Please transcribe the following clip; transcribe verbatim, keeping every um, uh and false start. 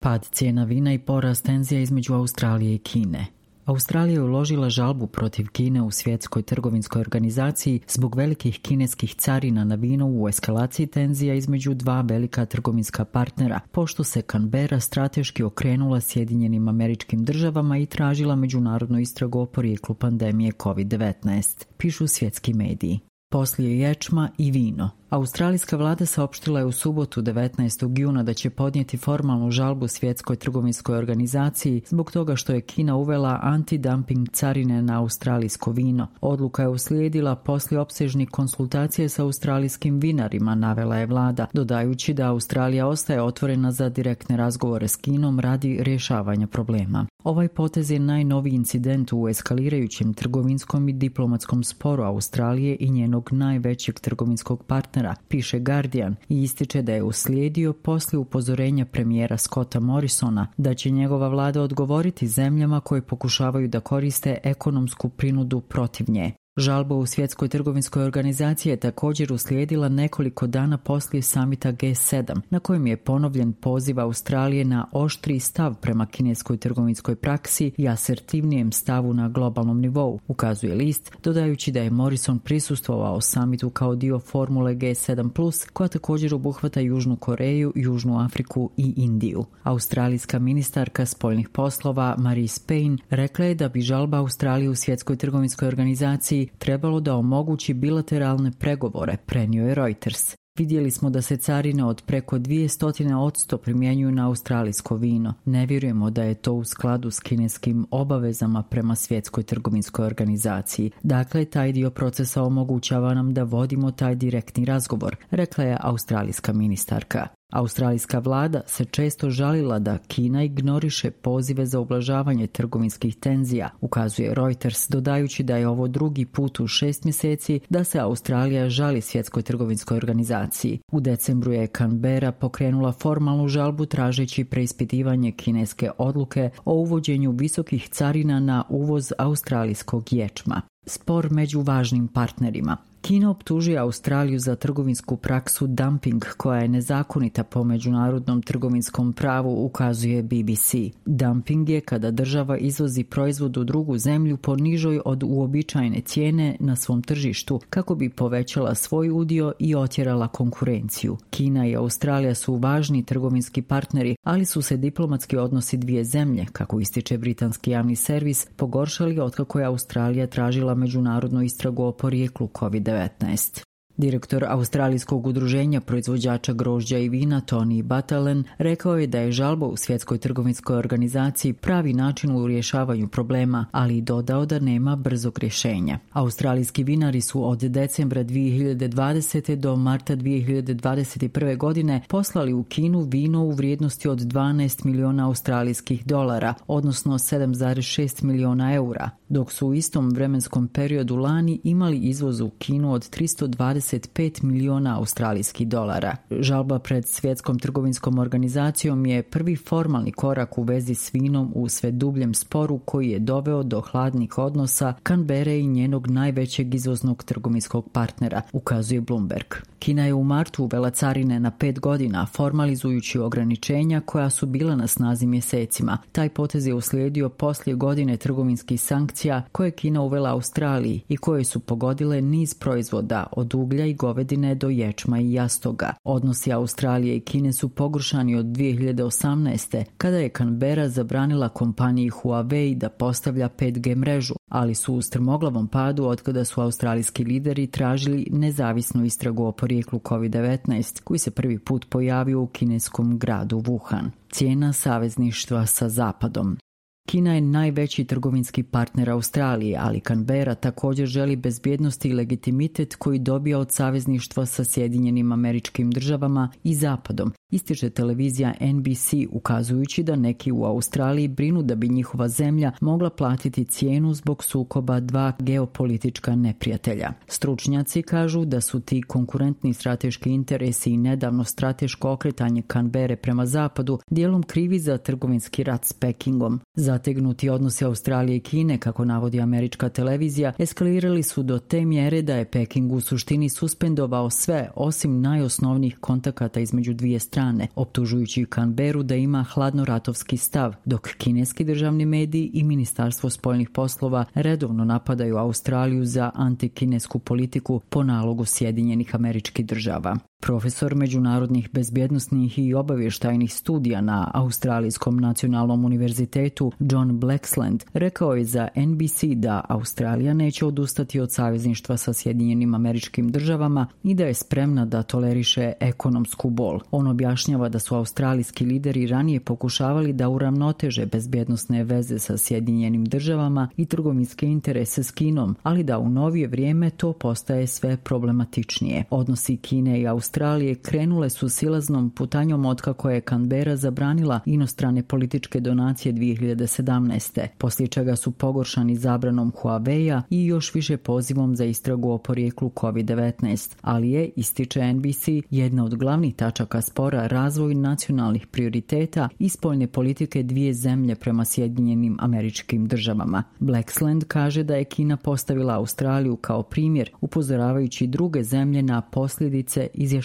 Pad cijena vina i porast tenzija između Australije i Kine. Australija je uložila žalbu protiv Kine u Svjetskoj trgovinskoj organizaciji zbog velikih kineskih carina na vino u eskalaciji tenzija između dva velika trgovinska partnera, pošto se Canberra strateški okrenula Sjedinjenim Američkim Državama i tražila međunarodnu istragu o porijeklu pandemije kovid devetnaest, pišu svjetski mediji. Poslije ječma i vino. Australijska vlada saopštila je u subotu devetnaestog juna da će podnijeti formalnu žalbu Svjetskoj trgovinskoj organizaciji zbog toga što je Kina uvela antidumping carine na australijsko vino. Odluka je uslijedila poslije opsežnih konsultacije sa australijskim vinarima, navela je vlada, dodajući da Australija ostaje otvorena za direktne razgovore s Kinom radi rješavanja problema. Ovaj potez je najnoviji incident u eskalirajućem trgovinskom i diplomatskom sporu Australije i njenog najvećeg trgovinskog partnera, piše Guardian, i ističe da je uslijedio poslije upozorenja premijera Scotta Morrisona da će njegova vlada odgovoriti zemljama koje pokušavaju da koriste ekonomsku prinudu protiv nje. Žalba u Svjetskoj trgovinskoj organizaciji je također uslijedila nekoliko dana poslije samita G sedam, na kojem je ponovljen poziv Australije na oštriji stav prema kineskoj trgovinskoj praksi i asertivnijem stavu na globalnom nivou, ukazuje list, dodajući da je Morrison prisustvovao samitu kao dio formule G sedam plus, koja također obuhvata Južnu Koreju, Južnu Afriku i Indiju. Australijska ministarka spoljnih poslova Marise Payne rekla je da bi žalba Australije u Svjetskoj trgovinskoj organizaciji trebalo da omogući bilateralne pregovore, prenio je Reuters. Vidjeli smo da se carine od preko dvjesto posto primjenjuju na australijsko vino. Ne vjerujemo da je to u skladu s kineskim obavezama prema Svjetskoj trgovinskoj organizaciji. Dakle, taj dio procesa omogućava nam da vodimo taj direktni razgovor, rekla je australijska ministarka. Australijska vlada se često žalila da Kina ignoriše pozive za ublažavanje trgovinskih tenzija, ukazuje Reuters, dodajući da je ovo drugi put u šest mjeseci da se Australija žali Svjetskoj trgovinskoj organizaciji. U decembru je Canberra pokrenula formalnu žalbu tražeći preispitivanje kineske odluke o uvođenju visokih carina na uvoz australijskog ječma. Spor među važnim partnerima. Kina optužuje Australiju za trgovinsku praksu dumping koja je nezakonita po međunarodnom trgovinskom pravu, ukazuje B B C. Dumping je kada država izvozi proizvod u drugu zemlju po nižoj od uobičajene cijene na svom tržištu kako bi povećala svoj udio i otjerala konkurenciju. Kina i Australija su važni trgovinski partneri, ali su se diplomatski odnosi dvije zemlje, kako ističe britanski javni servis, pogoršali otkako je Australija tražila međunarodnu istragu o porijeklu kovid devetnaest. Direktor Australijskog udruženja proizvođača grožđa i vina Tony Battalen rekao je da je žalba u Svjetskoj trgovinskoj organizaciji pravi način u rješavanju problema, ali i dodao da nema brzog rješenja. Australijski vinari su od decembra dvije hiljade dvadesete do marta dvije hiljade dvadeset prve. godine poslali u Kinu vino u vrijednosti od dvanaest milijuna australijskih dolara, odnosno sedam zarez šest milijuna eura, dok su u istom vremenskom periodu lani imali izvoz u Kinu od tristo dvadeset pet milijuna australijskih dolara. Žalba pred Svjetskom trgovinskom organizacijom je prvi formalni korak u vezi s vinom u sve dubljem sporu koji je doveo do hladnih odnosa Canberre i njenog najvećeg izvoznog trgovinskog partnera, ukazuje Bloomberg. Kina je u martu uvela carine na pet godina, formalizujući ograničenja koja su bila na snazi mjesecima. Taj potez je uslijedio poslije godine trgovinskih sankcija koje Kina uvela Australiji i koje su pogodile niz proizvoda od uglja i govedine do ječma i jastoga. Odnosi Australije i Kine su pogoršani od dvije hiljade osamnaeste. kada je Canberra zabranila kompaniji Huawei da postavlja pet G mrežu, ali su u strmoglavom padu otkada su australijski lideri tražili nezavisnu istragu o porijeklu kovid devetnaest koji se prvi put pojavio u kineskom gradu Wuhan. Cijena savezništva sa Zapadom. Kina je najveći trgovinski partner Australije, ali Canberra također želi bezbjednost i legitimitet koji dobija od savezništva sa Sjedinjenim Američkim Državama i Zapadom, ističe televizija N B C, ukazujući da neki u Australiji brinu da bi njihova zemlja mogla platiti cijenu zbog sukoba dva geopolitička neprijatelja. Stručnjaci kažu da su ti konkurentni strateški interesi i nedavno strateško okretanje Canberre prema Zapadu dijelom krivi za trgovinski rat s Pekingom. Zategnuti odnosi Australije i Kine, kako navodi američka televizija, eskalirali su do te mjere da je Peking u suštini suspendovao sve osim najosnovnijih kontakata između dvije strane strane, optužujući Canberu da ima hladnoratovski stav, dok kineski državni mediji i Ministarstvo spoljnih poslova redovno napadaju Australiju za antikinesku politiku po nalogu Sjedinjenih Američkih Država. Profesor međunarodnih bezbjednosnih i obavještajnih studija na Australijskom nacionalnom univerzitetu John Blaxland rekao je za N B C da Australija neće odustati od savezništva sa Sjedinjenim Američkim Državama i da je spremna da toleriše ekonomsku bol. On objašnjava da su australijski lideri ranije pokušavali da uravnoteže bezbjednosne veze sa Sjedinjenim Državama i trgovinske interese s Kinom, ali da u novije vrijeme to postaje sve problematičnije. Odnosi Kine i Australije Australije krenule su silaznom putanjom otkako je Canberra zabranila inostrane političke donacije dvije hiljade sedamnaeste, poslije čega su pogoršani zabranom Huawei-a i još više pozivom za istragu o porijeklu kovid devetnaest, ali je, ističe N B C, jedna od glavnih tačaka spora razvoj nacionalnih prioriteta i spoljne politike dvije zemlje prema Sjedinjenim Američkim Državama. Blaxland kaže da je Kina postavila Australiju kao primjer, upozoravajući druge zemlje na posljedice izjašnjavanja.